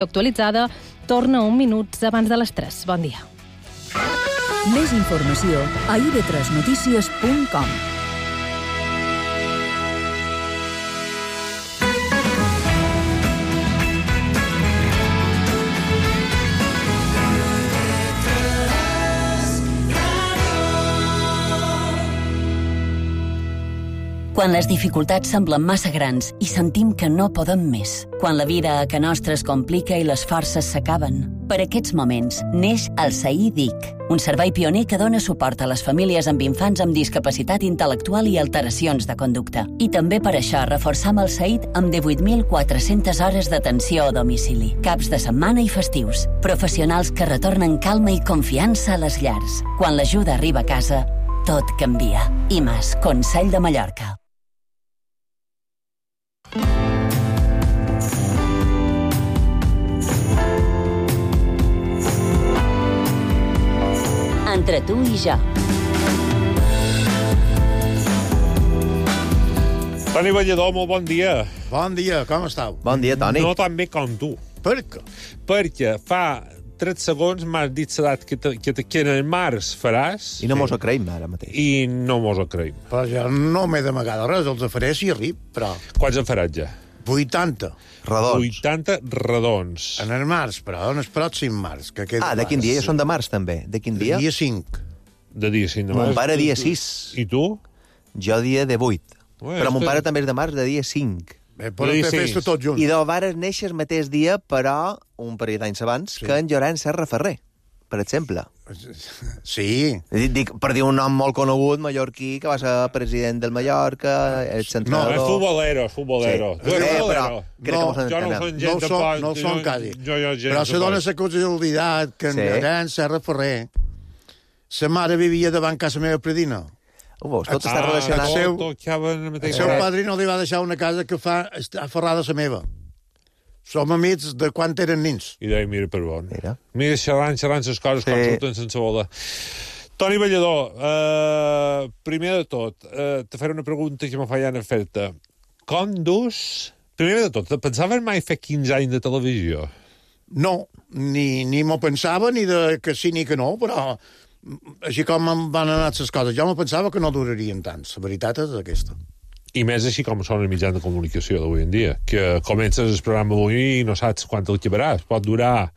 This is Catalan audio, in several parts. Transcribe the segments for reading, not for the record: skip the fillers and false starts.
Actualitzada torna 1 minut abans de les 3. Bon dia. Més informació a ib3notícies.com. Quan les dificultats semblen massa grans i sentim que no podem més. Quan la vida a ca nostra es complica i les forces s'acaben. Per aquests moments neix el SAID DIC, un servei pioner que dona suport a les famílies amb infants amb discapacitat intel·lectual i alteracions de conducta. I també per això reforçam el SAID amb 18.400 hores d'atenció a domicili, caps de setmana i festius. Professionals que retornen calma i confiança a les llars. Quan l'ajuda arriba a casa, tot canvia. IMAS, Consell de Mallorca. Entre tu i jo. Toni Ballador, molt bon dia. Bon dia, com estàu? Bon dia, Toni. No tan bé com tu. Per què? Perquè fa 3 segons m'has dit l'edat que en el març faràs I no mos ho creïm ara mateix. i no mos ho creïm. Però jo no m'he d'amagar de res, els faré si arrib, però... Quants en faràs ja? 80. Redons. 80 redons. En el març, però en el pròxim març. Que queda De quin dia? Ja són de març, també. De quin dia? Dia 5. De dia 5 de Mon març. pare dia 6. I tu? Jo dia de 8. Bueno, Però mon pare també és de març, de dia 5. Podem fer festa tots junts. I de vares néixer el mateix dia, però un parell d'anys abans, que en Llorenç Serra Ferrer, per exemple. Sí. Dic, per dir un nom molt conegut, mallorquí, que va ser president del Mallorca, el No, centrador... és futbolero. Sí. Tu eres futbolero. Crec que mos Jo no entenem. són gent de poc. No són quasi. Jo Però se dona la casualitat que en Sí. Llorenç Serra Ferrer sa mare vivia davant casa meva predina. Ho veus, tot està relacionat. El seu padrí no li va deixar una casa que està aferrada a la meva. Som amics de quan eren nins. I deia, mira per on. Mira. Xerrant les coses com surten sense voler. Toni Ballador, primer de tot, te faré una pregunta que me feien a fer-te. Com dus... Primer de tot, pensaves mai fer 15 anys de televisió? No, ni m'ho pensava, ni de que sí ni que no, però així com em van anar les coses, jo me pensava que no durarien tant. La veritat és aquesta. I més així com són els mitjans de comunicació d'avui en dia, que comences el programa avui i no saps quant el acabaràs. Pot durar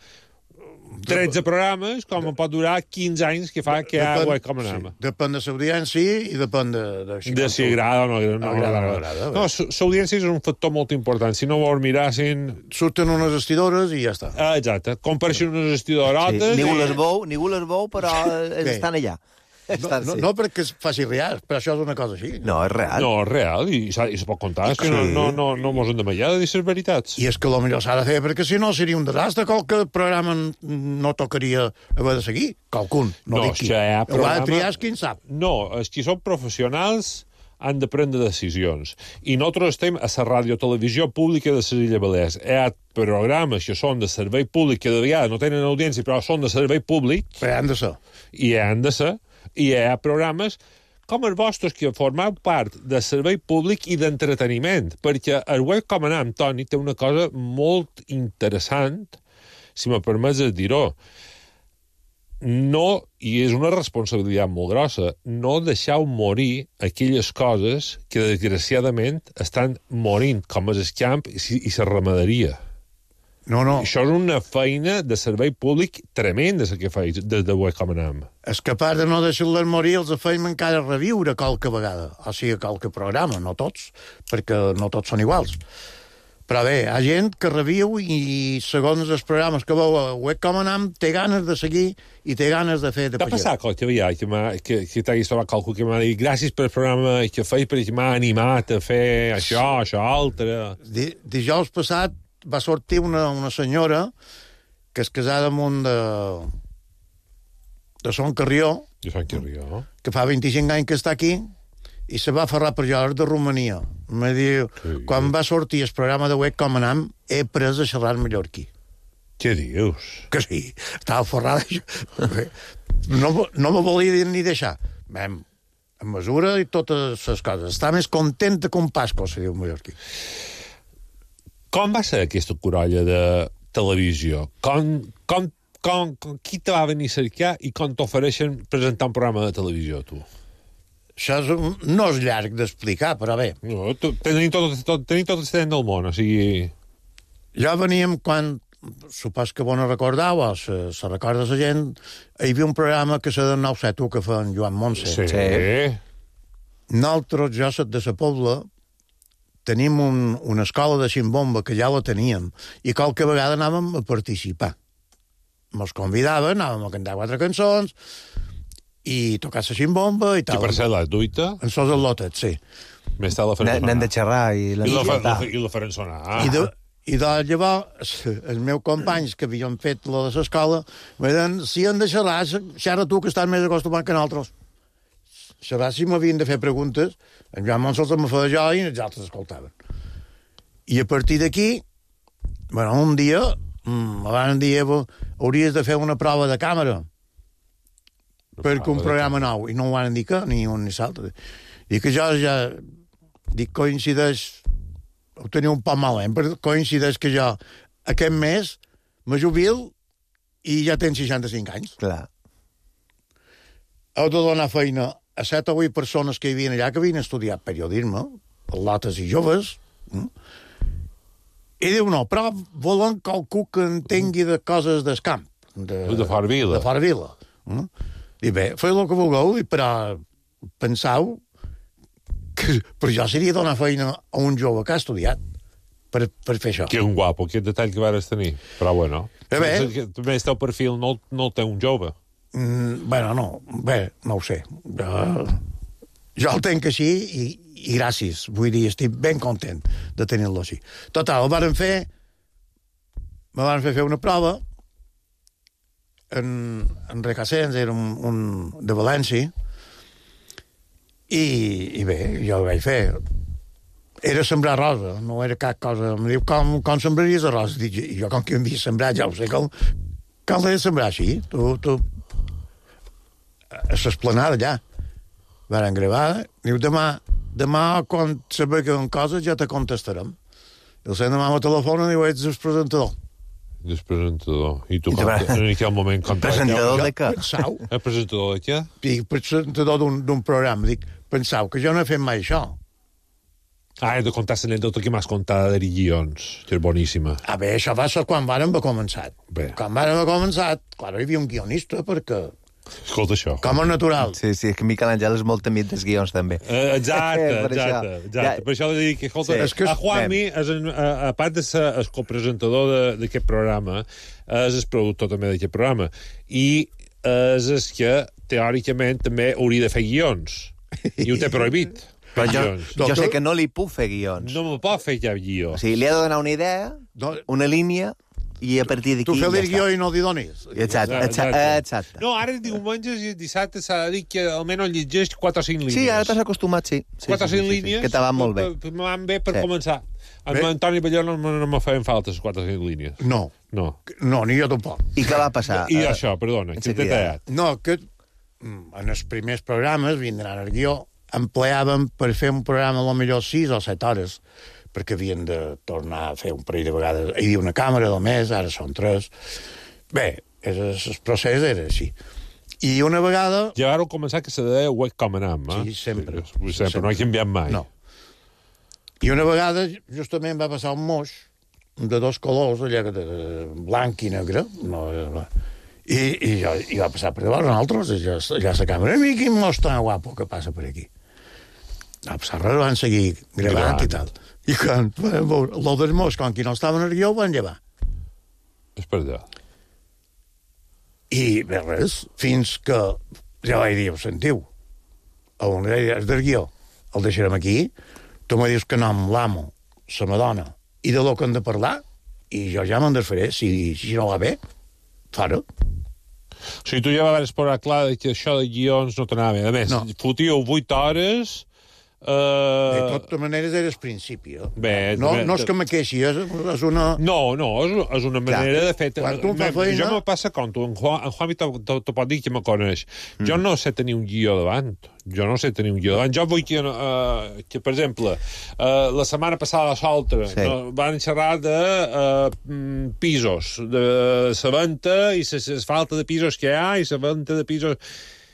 13 programes, com pot durar 15 anys que fa que ja ho com anem. Sí. Depèn de l'audiència i depèn de si agrada o no agrada. No, l'audiència és un factor molt important. Si no vols mirar, surten unes vestidores i ja està. Exacte. Compareixen unes vestidorotes... Ningú les veu, però estan allà. No perquè es faci real, però això és una cosa així. No, és real. No, és real, i se pot contar. És que no mos hem de mallar de dir les veritats. I és que potser s'ha de fer, perquè si no seria un desastre. Qualque programa no tocaria haver de seguir. Qualcun, no dic qui. Ho ha de triar qui en sap. No, els qui són professionals han de prendre decisions. I nosaltres estem a la radiotelevisió pública de les Illes Balears. Hi ha programes que són de servei públic, que de vegades no tenen audiència, però són de servei públic. Però han de ser. I han de ser. I hi ha programes com els vostres que formeu part de servei públic i d'entreteniment, perquè el web com anam, Toni, té una cosa molt interessant, si me permets dir-ho. No, i és una responsabilitat molt grossa, no deixeu morir aquelles coses que desgraciadament estan morint, com és el camp i la ramaderia. No. Això és una feina de servei públic tremenda, la que feis des de web com anam. És capaç de no deixar-les morir, els feim encara reviure qualque vegada. O sigui, qualque programa, no tots, perquè no tots són iguals. Però bé, hi ha gent que reviu i segons els programes que veu a web com anam, té ganes de seguir i té ganes de fer de T'ha passat qualque vegada que t'hagués trobat qualcú que m'ha dit gràcies pel programa que feis perquè m'ha animat a fer això, altre... Dijous passat va sortir una senyora que és casada amb un de Son Carrió, que fa 25 anys que està aquí, i se va aferrar per jo, de Romania. Me diu, quan va sortir el programa de web com anam, he pres a xerrar mallorquí. Què dius? Que sí, estava aferrada. No me volia ni deixar. Vam, a mesura i totes les coses. Està més contenta que un pasco, se diu mallorquí. Com va ser aquesta corolla de televisió. Qui te va venir a cercar i com t'ofereixen presentar un programa de televisió, tu? Això no és llarg d'explicar, però bé. No, tenim tot el temps del món, o sigui... Ja veníem quan, supos que vos no recordeu, o se recorda la gent, hi havia un programa que se de 9-7 que fa en Joan Montse. Sí. Nosaltres, jo soc de la Pobla, tenim una escola de ximbomba que ja la teníem, i qualque vegada anàvem a participar. Mos convidaven, anàvem a cantar 4 cançons, i tocar la ximbomba i tal. I per ser la duita? En sos el lotet, sí. Més tal la farem sonar. N'hem de xerrar i la farem sonar. I llavors, els meus companys que havien fet la de l'escola me deien, si han de xerrar, xerra tu que estàs més acostumat que nosaltres. Xerrar si m'havien de fer preguntes, en Joan Monsols me feia jo i els altres escoltaven. I a partir d'aquí, bueno, un dia, abans dir, hauries de fer una prova de càmera perquè un programa nou, i no ho van dir que ni un ni l'altre. I que jo ja coincideix, ho tenia un poc malament, però coincideix que jo aquest mes me jubil i ja tenc 65 anys. Clar. Heu de donar feina a 7 o 8 persones que hi havia allà que havien estudiat periodisme, lotes i joves, i diu, no, però volen qualcú que entengui de coses del camp. De fora vila. De fora vila. I bé, feu el que vulgueu, però penseu que per jo seria donar feina a un jove que ha estudiat per fer això. Que un guapo, aquest detall que vares tenir. Però bueno, també el teu perfil no el té un jove. Bueno, no, bé, no ho sé. Jo el tenc així i gràcies. Vull dir, estic ben content de tenir-lo així. Total, me van fer una prova en Recassens, era un de València, i bé, jo ho vaig fer. Era sembrar rosa, no era cap cosa. Em diu, com sembraries a rosa? Dic, jo com que em havia sembrat, ja ho sé, com l'he de sembrar així? Tu a l'esplanada allà. Varen gravar. Diu, demà quan sabem coses ja te contestarem. El sent demà me telefona i diu, ets el presentador. El presentador. I tu, en aquell moment... Presentador de què? Pensau. El presentador de què? Dic, presentador d'un programa. Dic, pensau que jo no he fet mai això. He de contar l'anècdota que m'has contat de guions, que és boníssima. Bé, això va ser quan vàrem haver començat. Bé. Quan vàrem haver començat, clar, hi havia un guionista, perquè... Escolta això. Com a natural. Sí, és que Miquel Àngel és molt amic dels guions, també. Exacte. Per això li dic que, escolta, a Juanmi, a part de ser el copresentador d'aquest programa, és el productor també d'aquest programa, i és el que, teòricament, també hauria de fer guions. I ho té prohibit. Però jo sé que no li puc fer guions. No me pot fer cap guió. O sigui, li ha de donar una idea, una línia, i a partir d'aquí tu feu ja el guió i no li donis. Exacte. No, ara diumenges i dissabte s'ha de dir que almenys llegeix 4 o 5 línies. Sí, ara t'has acostumat, sí. 4 o 5 línies. Que te van molt bé. Me van bé per començar. A Antoni Balló no me feien falta les 4 o 5 línies. No, ni jo tampoc. I què va passar? I això, perdona, que t'he tallat. No, que en els primers programes, vindran al guió, empleàvem per fer un programa a lo millor 6 o 7 hores, perquè havien de tornar a fer un parell de vegades. Hi havia una càmera del mes, ara són 3. Bé, el procés era així. I una vegada... Ja vau començar que se deia webcam en Sí, sempre. No he canviat mai. No. I una vegada, justament, va passar un moix de 2 colors, allà de blanc i negre, i va passar per davant nosaltres, allà a la càmera. I quin moix tan guapo que passa per aquí. No, pues res, van seguir gravant i tal. I quan van veure el dels mots, com que no estaven al guió, van llevar. És per allà. I bé, res, fins que ja vaig dir, sentiu, on és del guió, el deixarem aquí, tu me dius que no amb l'amo, la madona, i de lo que hem de parlar, i jo ja me'n desfaré, si no va bé, fora. O sigui, tu ja vas posar clar que això de guions no t'anava bé. A més, fotíeu 8 hores De totes maneres, era el principi. Bé, no és que me queixi, és una... No, és una manera de fer... Quan tu fas feina... Jo me passa com tu, en Juanmi t'ho pot dir que me coneix. Jo no sé tenir un guió davant. Jo vull que per exemple, la setmana passada a l'altra van xerrar de pisos, de la venda i la falta de pisos que hi ha i la venda de pisos...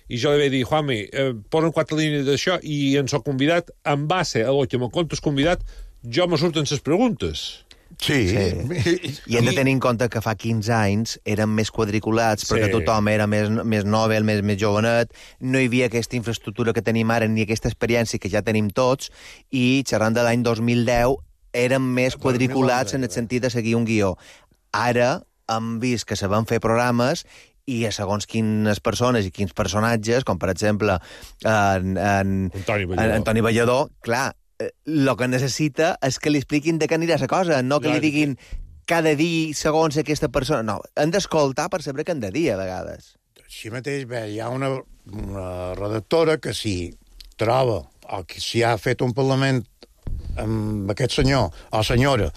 I jo li vaig dir, Juanmi, posen 4 línies d'això i ens ho convidat, en base a lo que me contes convidat, jo me surten les preguntes. Sí. I hem de tenir en compte que fa 15 anys eren més quadriculats perquè tothom era més novel, més jovenet, no hi havia aquesta infraestructura que tenim ara ni aquesta experiència que ja tenim tots i xerrant de l'any 2010 eren més quadriculats en el sentit de seguir un guió. Ara hem vist que se van fer programes i a segons quines persones i quins personatges, com per exemple Antoni Ballador, clar, el que necessita és que li expliquin de què anirà la cosa, no que li diguin cada dia segons aquesta persona. No, han d'escoltar per saber què han de dir, a vegades. Així mateix, bé, hi ha una redactora que si troba o que si ha fet un parlament amb aquest senyor o senyora,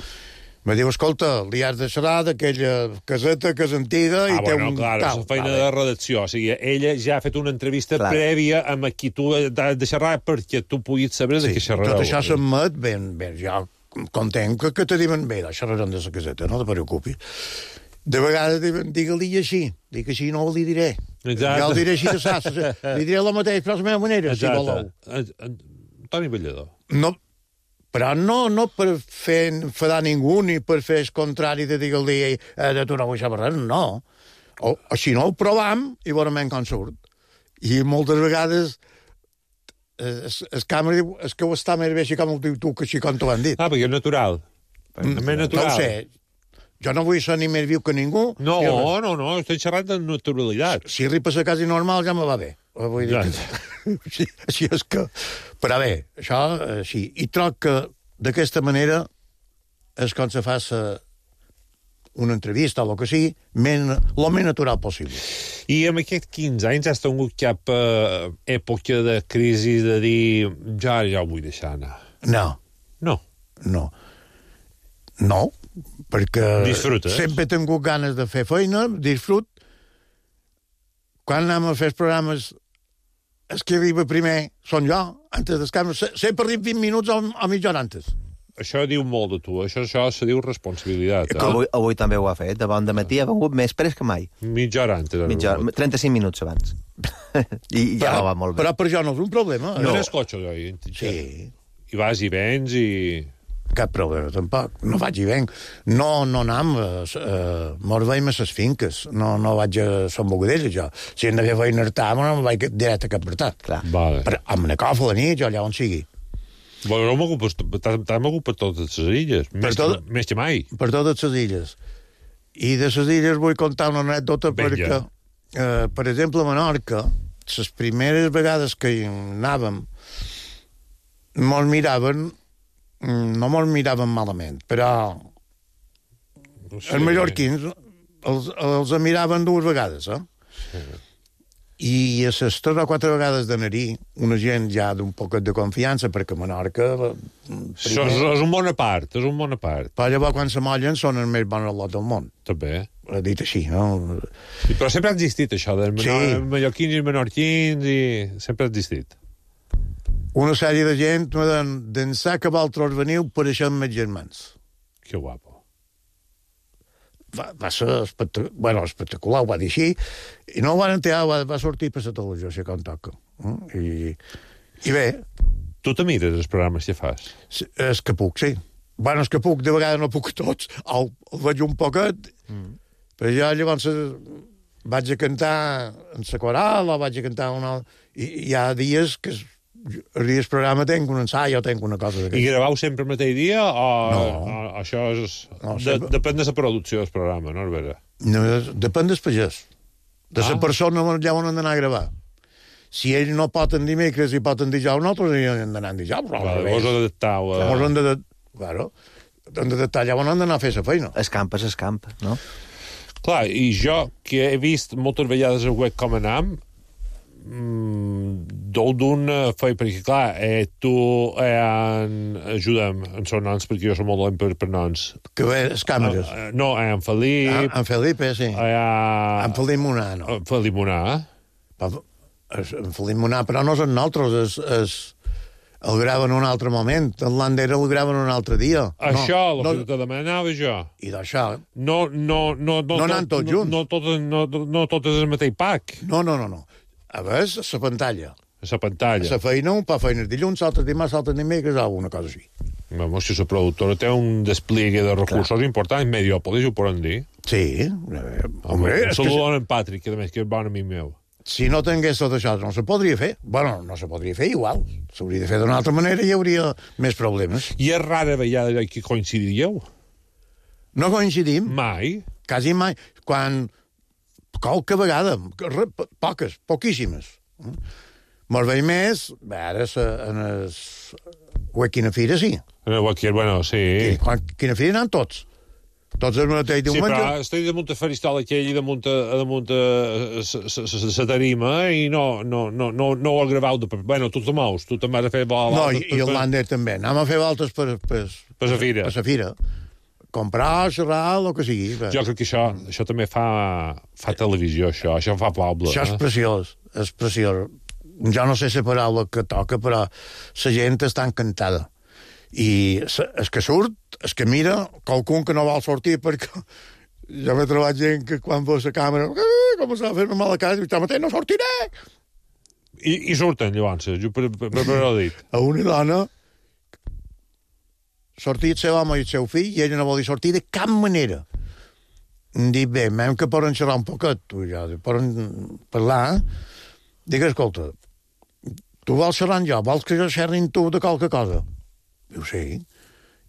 me diu, escolta, li has de xerrar d'aquella caseta que és antiga i té un clar, tal. És feina de redacció. O sigui, ella ja ha fet una entrevista prèvia amb qui tu has de xerrar perquè tu puguis saber de què xerrareu. Tot això s'admet ben, jo content que te diuen, bé, xerrarem de la caseta, no te preocupis. De vegades diuen, digue-li així, dic així no li diré. Exacte. Jo el diré així de sas, li diré el mateix, però de la meva manera, si voleu. Antoni Ballador. No, però no per fer enfadar ningú ni per fer el contrari de dir-li de tu no vull saber res, no. O si no, ho provam i veurem com surt. I moltes vegades el càmera diu que ho està més bé així com ho diu tu que així com t'ho han dit. Perquè és natural. No ho sé. Jo no vull ser ni més viu que ningú. No, estic xerrant de naturalitat. Si ripes a casa normal ja me va bé. Vull dir que... Així és que... Però bé, això, sí. I troc que d'aquesta manera és com se fa una entrevista o el que sigui, el més natural possible. I en aquests 15 anys has tingut cap època de crisi de dir ja ho vull deixar anar? No, perquè disfrutes. Sempre he tingut ganes de fer feina, disfrut. Quan anem a fer els programes, el que arriba primer són jo, antes dels cames. Sempre arribo 20 minuts o mitja hora antes. Això diu molt de tu, això se diu responsabilitat. Avui també ho ha fet, de bon dematí ha vengut més pres que mai. Mitja hora antes. 35 minuts abans. I ja va molt bé. Però per jo no és un problema. No eres cotxe, jo. Sí. I vas i vens i... Cap problema, tampoc. No vaig i venc. No anam, mos veiem a les finques. No vaig a Sant Bogadella, jo. Si hem de fer feina artà, no em vaig directe a Cap Bretat. Vale. Però amb una cofa a la nit, jo allà on sigui. Bueno, t'has mogut per totes les illes. Més que mai. Per totes les illes. I de les illes vull contar una anècdota perquè, per exemple, a Menorca, les primeres vegades que hi anàvem, mos miraven... No mos miraven malament, però els mallorquins els miraven 2 vegades, Sí. I a les 3 o 4 vegades d'anar-hi, una gent ja d'un poquet de confiança, perquè Menorca... És un bon apart, Però llavors, quan se mollen, són els més bons lot del món. També. Dit així, no? Però sempre ha existit això, dels mallorquins i menorquins, i sempre ha existit. Una sèrie de gent d'ençà que vosaltres veniu per això amb els germans. Que guapo. Va ser espectacular, ho va dir així, i no ho van enterar, va sortir per la televisió, si com toca. I bé... Tu te mires els programes que fas? És que puc, sí. Bueno, és que puc, de vegades no puc tots, el veig un poquet, però jo llavors vaig a cantar en la coral, o vaig a cantar una... I hi ha dies que... El dia del programa tenc un ensai o tenc una cosa d'aquesta. I gravau sempre el mateix dia o això és... No, depèn de la producció del programa, no, Albert? No, depèn del pagès. De la persona ja on han d'anar a gravar. Si ell no pot en dimecres i pot en dijous, nosaltres hi hem d'anar en dijous. Vos adaptau. Mos hem d'adaptar allà on han d'anar a fer la feina. Escamp és escamp, no? Clar, i jo, que he vist moltes vegades el web com anam, Deu d'una feia, perquè, clar, tu ajuda'm en són noms, perquè jo som molt dolent per noms. Que bé, les càmeres. No, en Felip... En Felipe, sí. En Felip Monà, no. Felip Monà. En Felip Monà, però no són nosaltres, el graven en un altre moment. En l'Andera el graven un altre dia. Això, el que te demanava jo. I d'això... No anan tots junts. No totes el mateix pack. No. A veure, la pantalla. La pantalla. La feina, un pa feines dilluns, altres dimarts, altres dimecres, alguna cosa així. Vamos, si la productora té un despliegue de recursos important, Mediòpolis, ho poden dir. Sí. Home, saludant en Patrick, que a més que és bon amic meu. Si no tingués tot això, no se podria fer. Bueno, no se podria fer igual. S'hauria de fer d'una altra manera i hi hauria més problemes. I és rara vegada que coincidiríeu? No coincidim. Mai? Quasi mai. Quan... Qualque vegada. Poquíssimes. Molt bé més, ara en el Quina Fira, sí. En el Quina, bueno, sí. Quina Fira anaven tots. Tots el mateix diumenge. Sí, però estic damunt el faristol aquell i damunt la tarima i no ho has gravat. Bueno, tu te mous, tu te'n vas a fer voltes. No, i el Lander també. Anem a fer voltes per la fira. Per la fira. Comprar, xerrar, el que sigui. Jo crec que això també fa televisió, això fa poble. Això és preciós, és preciós. Jo no sé la paraula que toca, però la gent està encantada. I el que surt, el que mira, qualcun que no vol sortir, perquè jo m'he trobat gent que quan veus la càmera començava a fer-me mal a casa i jo mateix no sortiré! I surten, llavors, jo per ho dit. A una dona sortir el seu home i el seu fill i ella no volia sortir de cap manera. Em dic, bé, m'hem que poden xerrar un poquet, tu ja, poden parlar. Dic, escolta, tu vols xerrar amb jo, vols que jo xerri amb tu de qualque cosa? Diu, sí.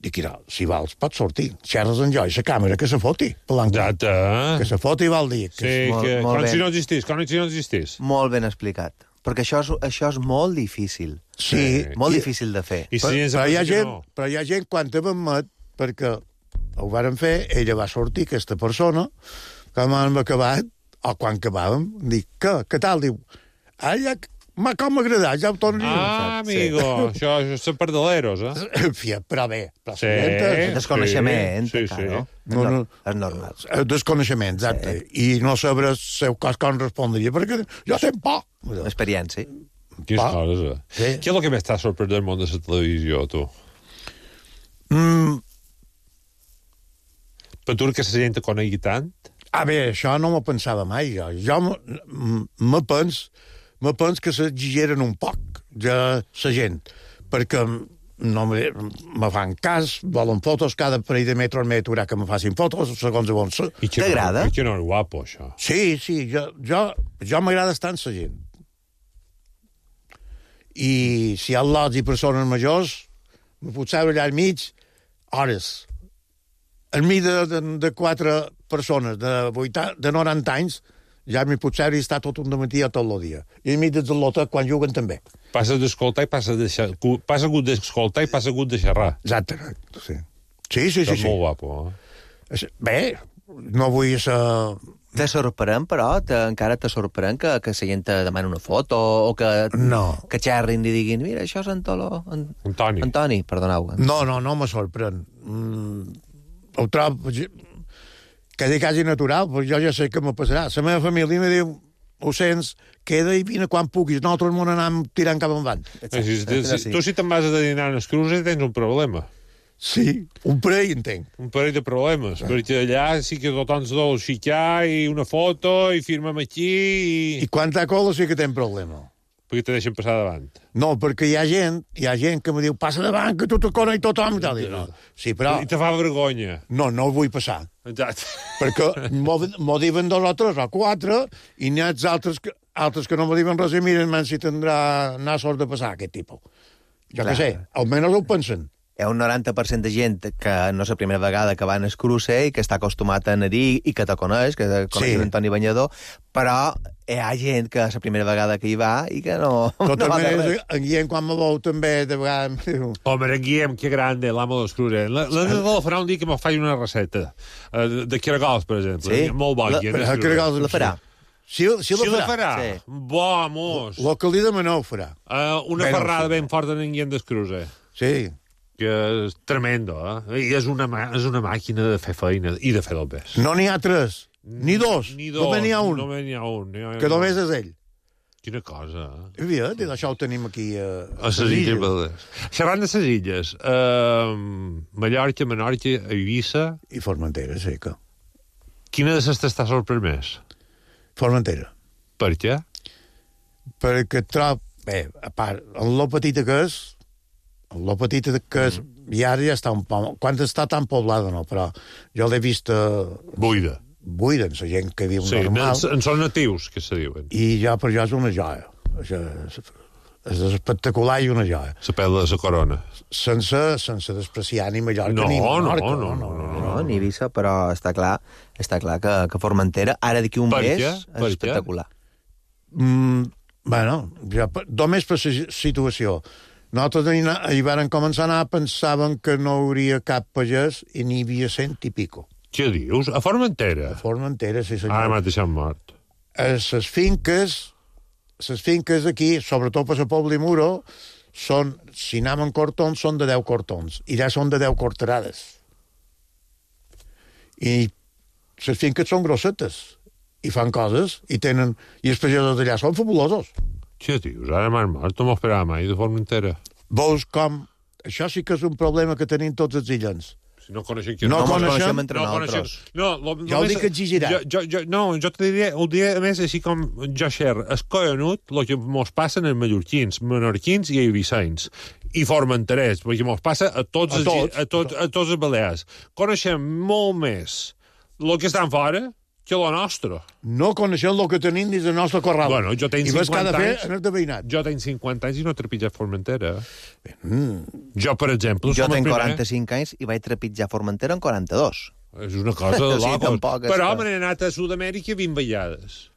Dic, mira, si vols, pots sortir. Xerres amb jo i la càmera que se foti. Exacte. Que se foti vol dir. Sí, com si no existís. Molt ben explicat. Perquè això és molt difícil. Sí. Molt difícil de fer. Però hi ha gent, quan te m'admet, perquè ho vàrem fer, ella va sortir, aquesta persona, quan hem acabat, o quan acabàvem, dic, què tal? Diu, com m'ha agradat, ja ho torno a dir. Amigo, això és perdeleros, Però bé. Sí. Desconeixement, sí. No? És normal. Desconeixement, exacte. I no saber el seu cos com respondria, perquè jo tenc por. Experiència. Quines coses, Sí. Què és el que més t'ha sorprès del món de la televisió, tu? Per tu que la gent te conegui tant? Bé, això no m'ho pensava mai, jo. Jo me penso que s'exigeren un poc, ja la gent, perquè no me fan cas, volen fotos, cada parell de metres m'he d'aturar que me facin fotos, segons on ser. T'agrada? I que no és guapo, això. Sí, jo m'agrada estar amb la gent. I si hi ha lots i persones majors, me puc seure allà al mig hores. Al mig de 4 persones de 90 anys, ja m'hi puc seure i estar tot un dematí o tot el dia. I al mig del lotet, quan juguen, també. Passa d'escoltar i passa hagut d'escoltar i passa hagut de xerrar. Exacte, sí. Sí. És molt guapo, Bé, no vull ser... Te sorprèn, però? Encara te sorprèn que la gent te demani una foto o que xerrin i diguin, mira, això és Antoni, perdoneu. No me sorprèn. Ho trobo quasi natural, però jo ja sé què me passarà. La meva família me diu, ho sents, queda i vine quan puguis. Nosaltres m'ho anem tirant cap endavant. Tu si te'n vas a dinar en els cruces tens un problema. Sí, un parell, entenc. Un parell de problemes, perquè allà sí que tothom se dol xicar i una foto i firmem aquí I quan t'ha cola sí que tens problema. Perquè te deixen passar davant. No, perquè hi ha gent que me diu, passa davant, que tu te coneix tothom. No. Sí, però... I te fa vergonya. No vull passar. Exacte. Perquè m'ho diuen 2 o 3 o 4 i n'hi ha altres que no m'ho diuen res i miren si tindrà sort de passar aquest tipus. Jo què sé, almenys ho pensen. Hi ha un 90% de gent que no és la primera vegada que va en el cruce i que està acostumat a anar-hi i que te coneix, que coneix l'Antoni Banyador, però hi ha gent que és la primera vegada que hi va i que no va de res. En Guillem, quan me veu, també de vegades... Home, en Guillem, que grande, l'amo dels cruces. L'ha de farà un dia que me faci una recepta de caragols, per exemple. Sí? Molt bo, Guillem. La farà? Si la farà. Sí. Vamos. El que li demaneu farà. Una ferrada ben forta en Guillem d'Escruze. Sí. Que és tremendo, I és una màquina de fer feina i de fer del pes. No n'hi ha 3, ni 2. Només n'hi ha un. Només n'hi ha un. Que només és ell. Quina cosa, I això ho tenim aquí a les Illes. Xerrant de les Illes, Mallorca, Menorca, Eivissa... I Formentera, sí que... Quina de les t'està sorprès més? Formentera. Per què? Perquè trob... Bé, a part, en lo petita que és... La petita que és, i ara ja està un poc... Quan està tan poblada, no, però jo l'he vist... Buida. Buida, la gent que viu normal. Sí, en són natius, que se diuen. I ja, per jo és una joia. És espectacular i una joia. La pèl de la corona. Sense despreciar ni Mallorca ni Menorca. No, ni Eivissa, però està clar que Formentera, ara d'aquí un mes, és espectacular. Bueno, ja, només per la situació. Nosaltres hi van començar a anar, pensaven que no hi hauria cap pagès i n'hi havia 100 i pico. Què dius? A Formentera? A Formentera, sí senyor. Ara m'ha deixat mort. Les finques aquí, sobretot per la Pobla i Muro, són, si anem en cortons, són de 10 cortons, i ja són de 10 corterades. I les finques són grossetes, i fan coses, i els pagesos d'allà són fabulosos. Què dius? Ara m'ha mort, no m'ho esperava mai de Formentera. Veus com... Això sí que és un problema que tenim tots els illens. Si no coneixem qui... No coneixem entre nosaltres. No, jo ho dic exigirat. Jo te diré, ho diré més així com jo xer, és collonut el que mos passa en mallorquins, menorquins i eivissencs i formenterers, perquè mos passa a tots els balears. Coneixem molt més el que estan fora que la nostra. No coneixem el que tenim dins del nostre corral. Bueno, jo tenc 50 anys... Jo tenc 50 anys i no he trepitjat Formentera. Jo, per exemple... Jo tenc 45 anys i vaig trepitjar Formentera en 42. És una cosa de locos. Tampoc però me n'he anat a Sud-amèrica 20 vegades.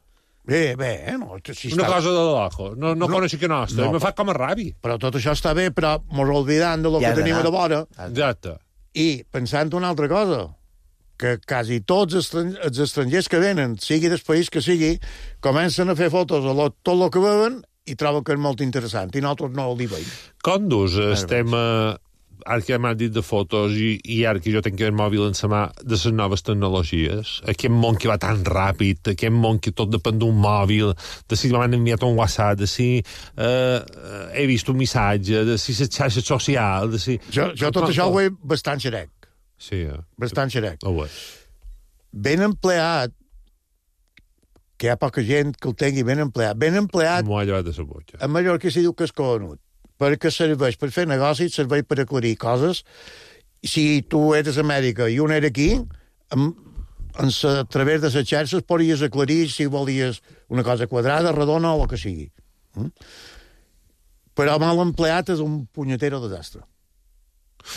Bé, no. Si una cosa de locos. No coneixo que nostra. Me fa com a ràbia. Però tot això està bé, però mos oblidant de lo que tenim a de vora. Exacte. I pensant una altra cosa, que quasi tots els estrangers que venen, sigui del país que sigui, comencen a fer fotos a tot el que veuen i troben que és molt interessant, i nosaltres no ho veiem. Com dus el tema, ara que m'ha dit de fotos i ara que jo tinc el mòbil en la mà, de les noves tecnologies, aquest món que va tan ràpid, aquest món que tot depèn d'un mòbil, de si m'han enviat un WhatsApp, de si he vist un missatge, de si la xarxa social, de si... Jo tot això ho veig bastant xerec. Sí, bastant xerec. Ben empleat, que hi ha poca gent que el tingui ben empleat. M'ho ha llevat de la boca. A Mallorca s'hi diu que és coronut, perquè serveix per fer negocis, serveix per aclarir coses. Si tu eres a Amèrica i un era aquí, a través de les xarxes podries aclarir si volies una cosa quadrada, redona o el que sigui. Però mal empleat és un punyetero desastre.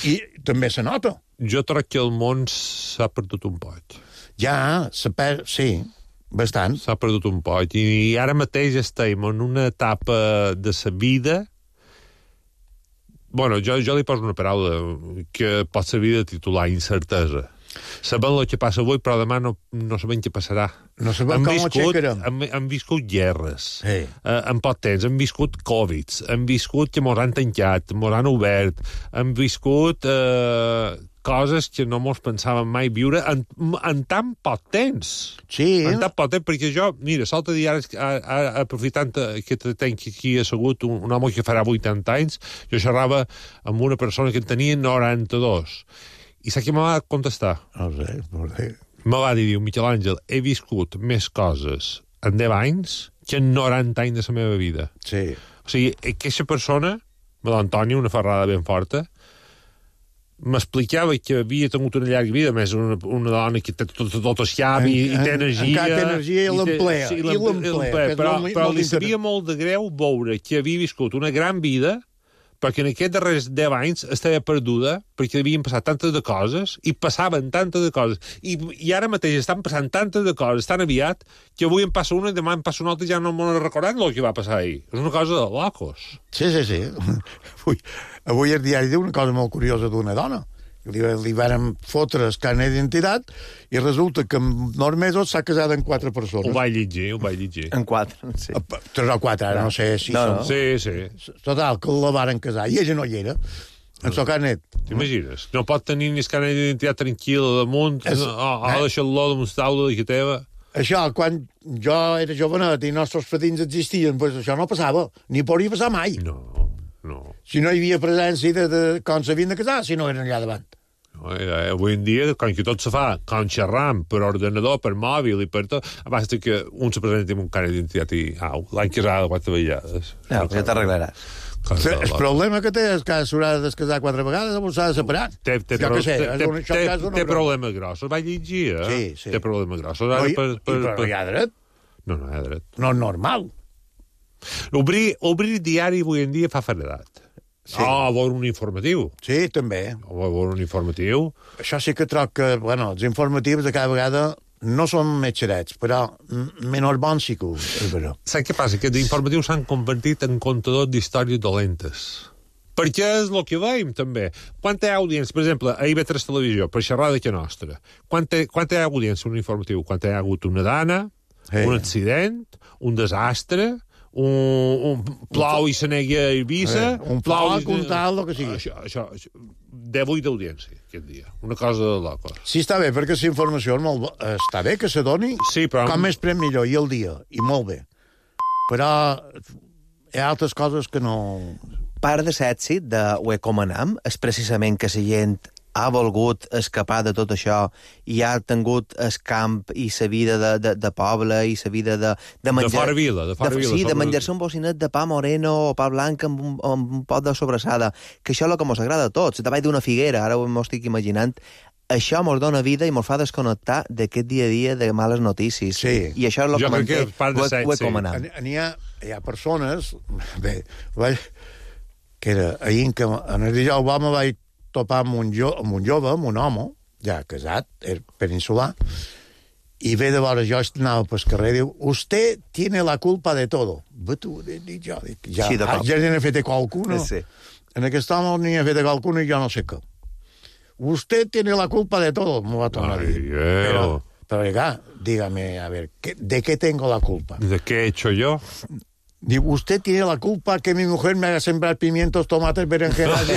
I també se nota. Jo crec que el món s'ha perdut un poc. Ja, sí, bastant. S'ha perdut un poc. I ara mateix estem en una etapa de la vida... Bueno, jo li poso una paraula que pot servir de titular, incertesa. Sabem el que passa avui, però demà no sabem què passarà. No sabem com ho aixecarem. Hem viscut guerres, sí. En poc temps, hem viscut Covids, hem viscut que mos han tancat, mos han obert, hem viscut coses que no mos pensàvem mai viure en tan poc temps. Sí. En tan poc temps, perquè jo, mira, l'altre dia, aprofitant que tenc aquí assegut un home que farà 80 anys, jo xerrava amb una persona que en tenia 92. I saps què me va contestar? No sé. Me va dir, Miquel Àngel, he viscut més coses en 10 anys que en 90 anys de la meva vida. Sí. O sigui, aquesta persona, l'Antònia, una ferrada ben forta, m'explicava que havia tingut una llarga vida, més una dona que té tot escapi i té energia. Encara té energia i l'emplea. I l'emplea. Però li sabia molt de greu veure que havia viscut una gran vida perquè en aquests darrers 10 anys estava perduda, perquè havien passat tantes de coses, i passaven tantes de coses, i ara mateix estan passant tantes de coses tan aviat, que avui em passa una i demà em passa una altra i ja no m'ho recordant el que va passar ahir. És una cosa de locos. Sí. Avui el diari diu una cosa molt curiosa d'una dona, li van fotre el carnet d'identitat i resulta que en 9 mesos s'ha casat amb 4 persones. Ho vaig llegir. En 4, sí. 3 o 4, ara no sé si No, són. Sí. Total, que la varen casar i ella no hi era. En el carnet. T'imagines? No pot tenir ni el carnet d'identitat tranquil damunt, o deixar-lo damunt taula de que teva. Això, quan jo era jovenet i nostres patins existien, doncs això no passava. Ni podria passar mai. No. Si no hi havia presència de com s'havien de casar, si no eren allà davant. No, avui en dia, com que tot se fa, com xerram, per ordenador, per mòbil i per tot, basta que un se presenti amb un carnet d'identitat i l'any casada 4 vegades. Ja t'arreglaràs. El problema que té és que s'haurà de descasar 4 vegades o s'ha de separar. Té problemes grossos. Vaig llegir, Sí. Té problemes grossos. Però hi ha dret. No hi ha dret. No és normal. Obrir diari avui en dia fa faredat. Sí. A veure un informatiu. Sí, també. A veure un informatiu. Això sí que troc que, els informatius de cada vegada no són més xerets, però menys bons sí que és vera. Saps què passa? Que els informatius s'han convertit en contadors d'històries dolentes. Perquè és el que veiem, també. Quan hi ha audiència, per exemple, a IB3 Televisió, per xerrar de que nostra, quan hi ha audiència un informatiu? Quan hi ha hagut una dana, un accident, un desastre, un plou i se negui a Eivissa, un plou, un tal, el que sigui. Això, 18 d'audiència, aquest dia. Una cosa de loco. Sí, està bé, perquè la informació és molt està bé que se doni, sí, però com més prem millor, i el dia, i molt bé. Però hi ha altres coses que no... Part de l'èxit de Hoe com anam és precisament que la gent ha volgut escapar de tot això i ha tingut el camp i la vida de poble i la vida de menjar... De fora vila. Sí, de menjar-se un bocinet de pa moreno o pa blanc amb un pot de sobrassada, que això és el que mos agrada a tots. Davall d'una figuera, ara m'ho estic imaginant, això mos dona vida i mos fa desconnectar d'aquest dia a dia de males notícies. Sí. I això és el que manté Hoe com anam. Hi ha persones... Bé, que era ahir que en el dia Obama vaig topar amb un jove, amb un home, ja casat, peninsular, i ve de veure, jo anava pel carrer, diu, usted tiene la culpa de todo. Tu, dic jo, ja n'he fet a qualcuno. Sí. En aquest home n'hi ha fet a qualcuno i jo no sé què. Usted tiene la culpa de todo, m'ho va tornar a dir. Pero, dígame, a ver, ¿de qué tengo la culpa? ¿De qué he hecho yo? Diu, usted tiene la culpa que mi mujer me haga sembrar pimientos, tomates, berenjenas...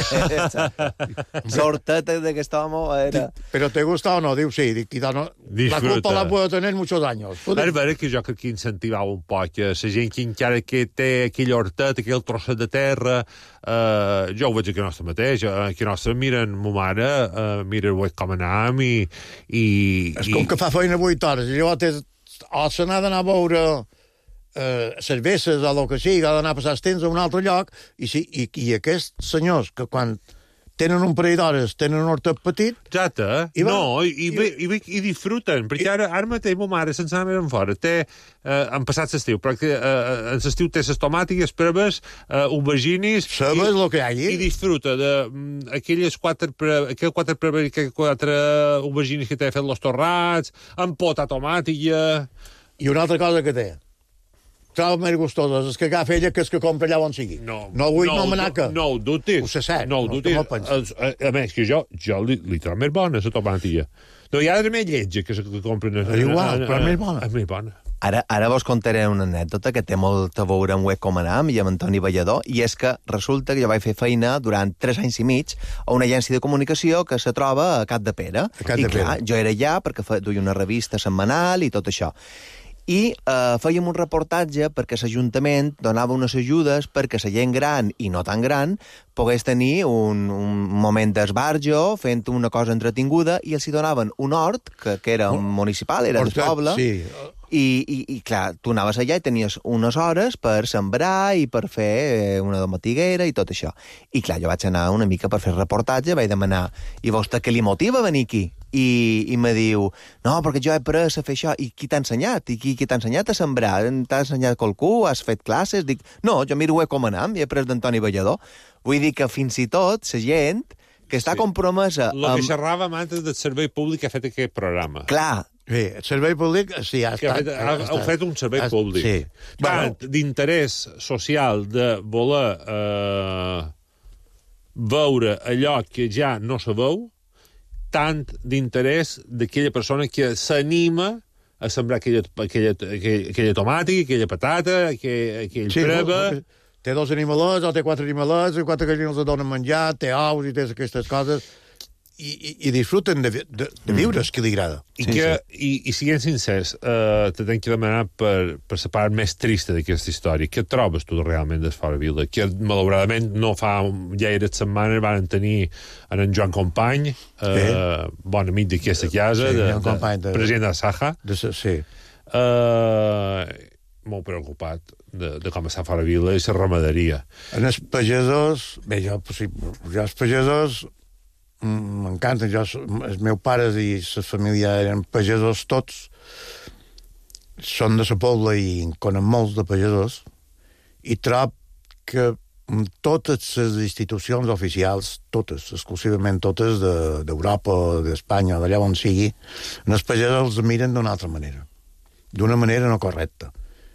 Sortete de que estábamos era... Però te gusta o no? Diu, sí. La culpa la puedo tener muchos años. És vera que jo crec que incentivava un poc la gent que encara que té aquell hortet, aquell trosset de terra, jo ho veig aquí nostre mateix, aquí nostre miren ma mare, mira com anam i... És com que fa feina 8 hores, i llavors o se n'ha d'anar a veure... cerveses o el que sigui, ha d'anar a passar els temps a un altre lloc, i aquests senyors que quan tenen un parell d'hores, tenen un hortet petit... Exacte, i disfruten, perquè ara mateix ma mare, sense anar més fora, han passat l'estiu, perquè en l'estiu té les tomàtiques, preves, aubergines... Sabes el que hi ha allí? I disfruta d'aquelles quatre aubergines que té fet los torrats, amb pota tomàtica... I una altra cosa que té, troba més gustoses, és que agafa ella que és que compra allà on sigui. No vull nomenar-que. No ho dubtis. Ho sé cert. No ho dubtis. A més, que jo li trobo més bona, la tomàtica. No hi ha de més lletja que compren... Igual, però és més bona. És més bona. Ara vos contaré una anècdota que té molt a veure amb Hoe com anam i amb Antoni Ballador, i és que resulta que jo vaig fer feina durant 3 anys i mig a una agència de comunicació que se troba a Capdepera. I clar, jo era allà perquè duia una revista setmanal i tot això. I fèiem un reportatge perquè l'Ajuntament donava unes ajudes perquè la gent gran i no tan gran pogués tenir un moment d'esbarjo fent una cosa entretinguda, i els hi donaven un hort, que era municipal, era del poble, i clar, tu anaves allà i tenies unes hores per sembrar i per fer una domatiguera i tot això. I clar, jo vaig anar una mica per fer reportatge, vaig demanar, i vostè què li motiva a venir aquí? I me diu, no, perquè jo he après a fer això. I qui t'ha ensenyat? I qui t'ha ensenyat a sembrar? T'ha ensenyat qualcú? Has fet classes? Dic, no, jo miro Hoe com anam i he après d'Antoni Ballador. Vull dir que fins i tot la gent que està compromesa... El que xerràvem antes del servei públic ha fet aquest programa. Clar. Bé, el servei públic, sí, ha estat... Heu fet un servei públic. Sí. Tant d'interès social de voler veure allò que ja no se veu, tant d'interès d'aquella persona que s'anima a sembrar aquella tomàtica, aquella patata, aquell preba... Té 2 animalets o té 4 animalets, i 4 gallines els donen menjar, té ous i té aquestes coses, i disfruten de viure, és que li agrada. I siguem sincers, te tenc que demanar per la part més trista d'aquesta història. Què trobes tu realment d'Esfora Vila? Que, malauradament, no fa gaires setmanes van tenir en Joan Company, bon amic d'aquesta casa, president de Saja. Sí. Molt preocupat de com està Fora Vila i la ramaderia. En els pagesos... Bé, jo els pagesos m'encanten. Els meus pares i la família eren pagesos tots. Són de la Pobla i en conen molts de pagesos. I trob que totes les institucions oficials, totes, exclusivament totes d'Europa, d'Espanya, d'allà on sigui, els pagesos els miren d'una altra manera. D'una manera no correcta.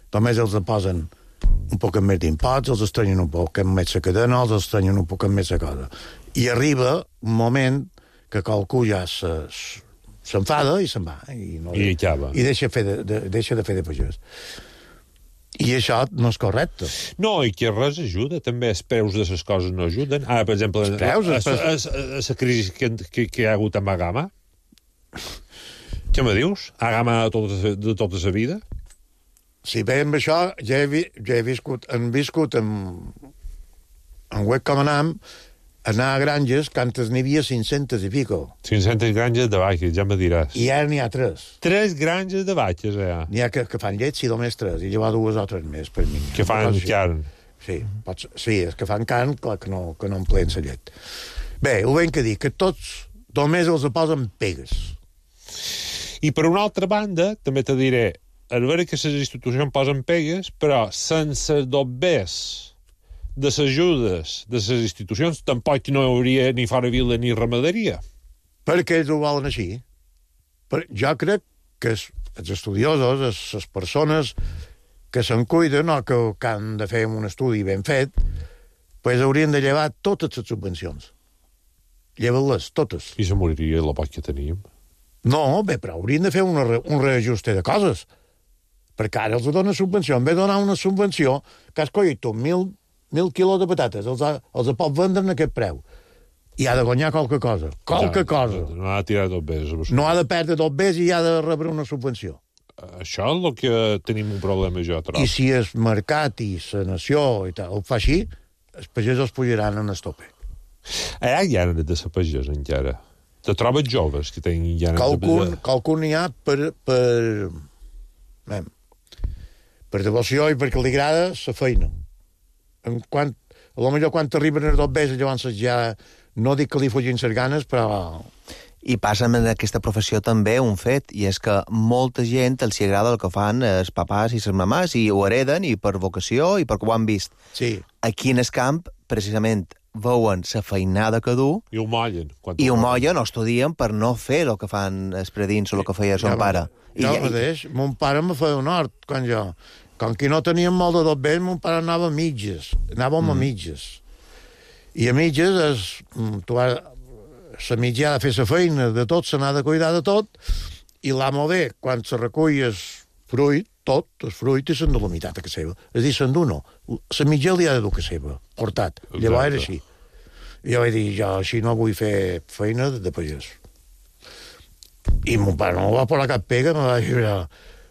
Només els posen un poc més d'imposts, els estrenyen un poc més la cadena, els estrenyen un poc més la cosa. I arriba un moment que qualcú ja s'enfada i se'n va. I deixa de fer de pagès. I això no és correcte. No, i que res ajuda. També els preus de les coses no ajuden. Ara, per exemple, la crisi que hi ha hagut amb Agama. Què me dius? Agama de tota la vida? Si bé amb això, ja he viscut en web com anam, anar a granges, que antes n'hi havia 500 i pico. 500 granges de vaques, ja me diràs. I ara n'hi ha 3. 3 granges de vaques, ja. N'hi ha que fan llet, si només 3, i llavors 2 o 3 més, per mi. Que fan carn. Sí, és que fan carn, clar que no empleen la llet. Bé, ho ben que dir, que tots només els posen pegues. I per una altra banda, també te diré, a veure que les institucions posen pegues, però sense dobbers de les ajudes de les institucions tampoc no hi hauria ni Fora Vila ni ramaderia. Perquè ells ho volen així. Jo crec que els estudiosos, les persones que se'n cuiden o que han de fer un estudi ben fet, pues haurien de llevar totes les subvencions. Llevar-les, totes. I se moriria la poc que tenim. No, bé, però haurien de fer un reajuste de coses. Perquè ara els dona subvenció. En vez de donar una subvenció, que has collit tu 1.000 quilos de patates, els pot vendre en aquest preu. I ha de guanyar qualque cosa. No ha de tirar tot bé. No ha de perdre tot bé i ha de rebre una subvenció. Això és el que tenim un problema, jo trobo. I si el mercat i la nació i tal ho fa així, els pagesos pujaran en el tope. Hi ha de ser pagès, encara. Te trobes joves que tenen ganes de pagès? Qualcun n'hi ha per devoció i perquè li agrada la feina. A lo millor quan t'arriben els dobbers, llavors ja no dic que li fugin les ganes, però... I passa en aquesta professió també un fet, i és que molta gent els agrada el que fan els papàs i les mamàs, i ho hereden, i per vocació, i perquè ho han vist. Sí. Aquí en el camp, precisament, veuen la feinada que du... I ho mollen. I ho mollen o estudien per no fer el que fan els predins o el que feia son pare. Jo mateix, mon pare me feia un hort, quan que no teníem molt de dobbers, mon pare anava a mitges. Anàvem a mitges. I a mitges, la mitja ha de fer la feina de tot, se n'ha de cuidar de tot, i l'amo ve, quan se recull el fruit, tot, el fruit, i se'n de la meitat a casa seva. És a dir, se'n du no. La mitja li ha de dur a casa seva, portat. Llavors era així. I jo vaig dir, jo així no vull fer feina de pagès. I mon pare no va posar cap pega, me va dir,